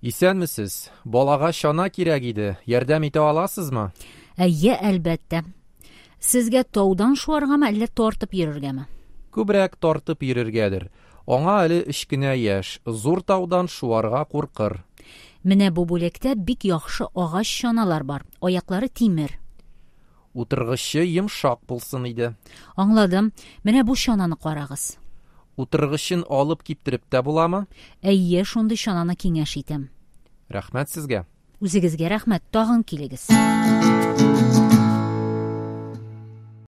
Исәнмесез, балага чана кирәк иде, ярдәм итә аласызмы? Әйе, әлбәттә. Сезгә таудан шуаргамы, әллә тартып йөрергәме? Күбрәк тартып йөрергәдер. Аңа әле өч кенә яшь, зур таудан шуарга куркыр. Менә бу бүлектә бик яхшы агач чаналар бар. Аяклары тимер. Утыргычы йомшак булсын иде. Аңладым. Менә бу чананы карагыз. Утыргычын алып киптереп тә буламы? Әйе, шундый чананы киңәш итәм. Рәхмәт сезгә. Үзегезгә рәхмәт. Тагын килегез.